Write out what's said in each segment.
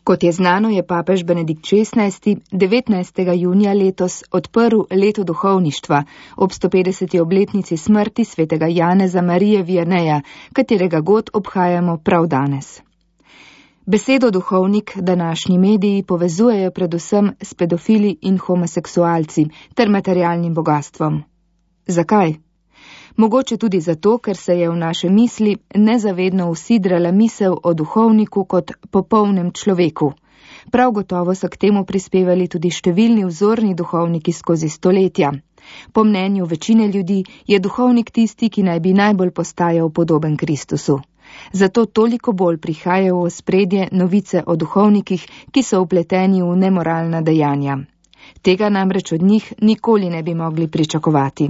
Kot je znano, je papež Benedikt XVI. 19. junija letos odprl leto duhovništva ob 150. obletnici smrti svetega Janeza Marije Vianeja, katerega god obhajamo prav danes. Besedo duhovnik današnji mediji povezujejo predvsem s pedofili in homoseksualci ter materialnim bogatstvom. Zakaj? Mogoče tudi zato, ker se je v naše misli nezavedno usidrala misel o duhovniku kot popolnem človeku. Prav gotovo so k temu prispevali tudi številni vzorni duhovniki skozi stoletja. Po mnenju večine ljudi je duhovnik tisti, ki naj bi najbolj postajal podoben Kristusu. Zato toliko bolj prihajajo v ospredje novice o duhovnikih, ki so vpleteni v nemoralna dejanja. Tega namreč od njih nikoli ne bi mogli pričakovati.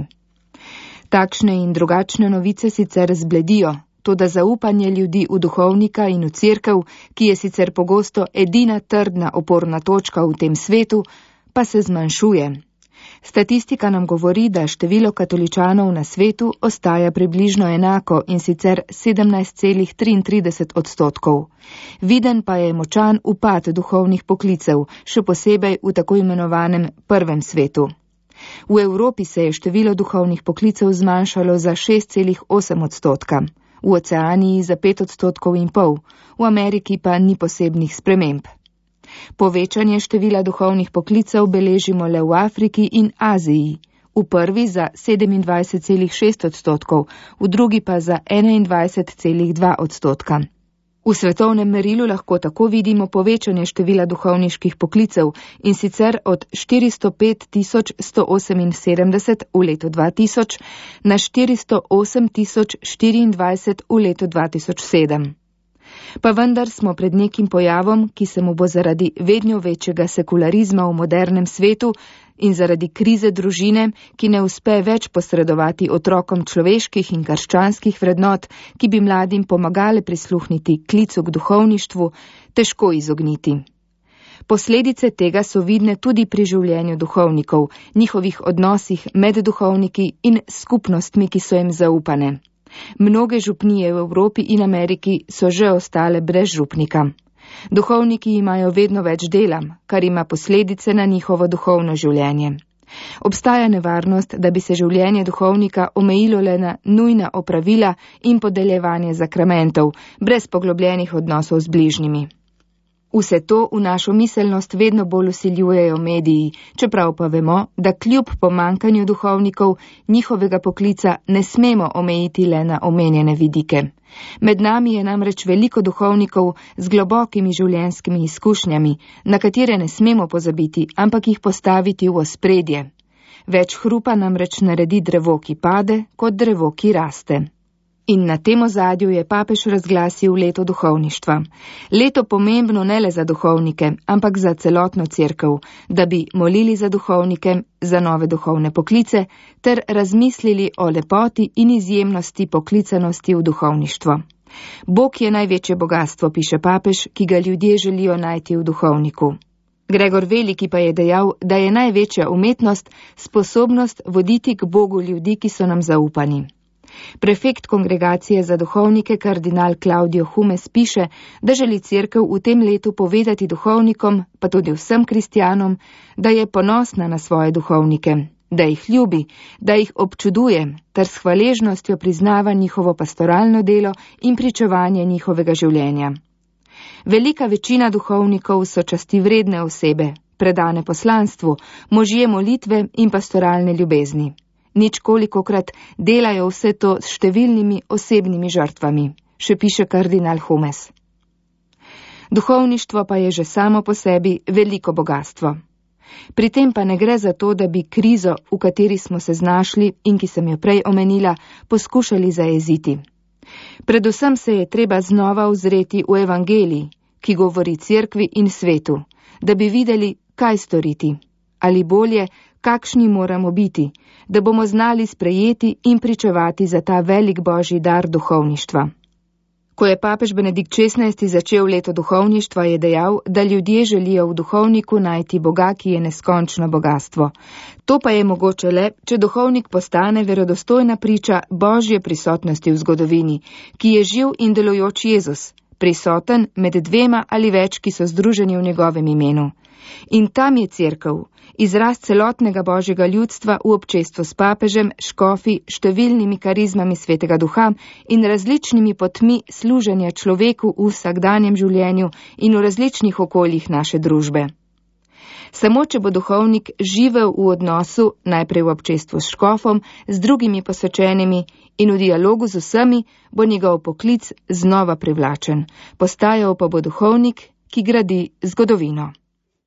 Takšne in drugačne novice sicer zbledijo, toda zaupanje ljudi v duhovnika in v cerkev, ki je sicer pogosto edina trdna oporna točka v tem svetu, pa se zmanjšuje. Statistika nam govori, da število katoličanov na svetu ostaja približno enako in sicer 17,33%. Viden pa je močan upad duhovnih poklicev, še posebej v tako imenovanem prvem svetu. V Evropi se je število duhovnih poklicev zmanjšalo za 6,8%, v Oceaniji za 5,5%, v Ameriki pa ni posebnih sprememb. Povečanje števila duhovnih poklicev beležimo le v Afriki in Aziji, v prvi za 27,6%, v drugi pa za 21,2%. V svetovnem merilu lahko tako vidimo povečanje števila duhovniških poklicev in sicer od 405.178 v letu 2000 na 408.024 v letu 2007. Pa vendar smo pred nekim pojavom, ki se mu bo zaradi vedno večjega sekularizma v modernem svetu in zaradi krize družine, ki ne uspe več posredovati otrokom človeških in krščanskih vrednot, ki bi mladim pomagale prisluhniti klicu k duhovništvu, težko izogniti. Posledice tega so vidne tudi pri življenju duhovnikov, njihovih odnosih med duhovniki in skupnostmi, ki so jim zaupane. Mnoge župnije v Evropi in Ameriki so že ostale brez župnika. Duhovniki imajo vedno več dela, kar ima posledice na njihovo duhovno življenje. Obstaja nevarnost, da bi se življenje duhovnika omejilo le na nujna opravila in podeljevanje zakramentov, brez poglobljenih odnosov z bližnjimi. Vse to v našo miselnost vedno bolj vsiljujejo mediji, čeprav pa vemo, da kljub pomankanju duhovnikov njihovega poklica ne smemo omejiti le na omenjene vidike. Med nami je namreč veliko duhovnikov z globokimi življenjskimi izkušnjami, na katere ne smemo pozabiti, ampak jih postaviti v ospredje. Več hrupa namreč naredi drevo, ki pade, kot drevo, ki raste. In na tem ozadju je papež razglasil leto duhovništva. Leto pomembno ne le za duhovnike, ampak za celotno cerkev, da bi molili za duhovnike, za nove duhovne poklice, ter razmislili o lepoti in izjemnosti poklicanosti v duhovništvo. Bog je največje bogastvo, piše papež, ki ga ljudje želijo najti v duhovniku. Gregor Veliki pa je dejal, da je največja umetnost sposobnost voditi k Bogu ljudi, ki so nam zaupani. Prefekt kongregacije za duhovnike kardinal Claudio Humes piše, da želi cerkev v tem letu povedati duhovnikom, pa tudi vsem kristjanom, da je ponosna na svoje duhovnike, da jih ljubi, da jih občuduje, ter s hvaležnostjo priznava njihovo pastoralno delo in pričevanje njihovega življenja. Velika večina duhovnikov so častivredne osebe, predane poslanstvu, možje molitve in pastoralne ljubezni. Nič kolikokrat delajo vse to s številnimi osebnimi žrtvami, še piše kardinal Humes. Duhovništvo pa je že samo po sebi veliko bogatstvo. Pri tem pa ne gre za to, da bi krizo, v kateri smo se znašli in ki sem jo prej omenila, poskušali zajeziti. Predvsem se je treba znova ozreti v evangelij, ki govori cerkvi in svetu, da bi videli, kaj storiti, ali bolje, kakšni moramo biti, da bomo znali sprejeti in pričevati za ta velik božji dar duhovništva. Ko je papež Benedikt XVI. Začel leto duhovništva, je dejal, da ljudje želijo v duhovniku najti Boga, ki je neskončno bogatstvo. To pa je mogoče le, če duhovnik postane verodostojna priča božje prisotnosti v zgodovini, ki je živ in delujoč Jezus, prisoten med dvema ali več, ki so združeni v njegovem imenu. In tam je cerkev, izraz celotnega božjega ljudstva v občestvu s papežem, škofi, številnimi karizmami svetega duha in različnimi potmi služenja človeku v vsakdanjem življenju in v različnih okoljih naše družbe. Samo če bo duhovnik živel v odnosu, najprej v občestvu s škofom, z drugimi posvečenimi in v dialogu z vsemi, bo njegov poklic znova privlačen. Postajal pa bo duhovnik, ki gradi zgodovino.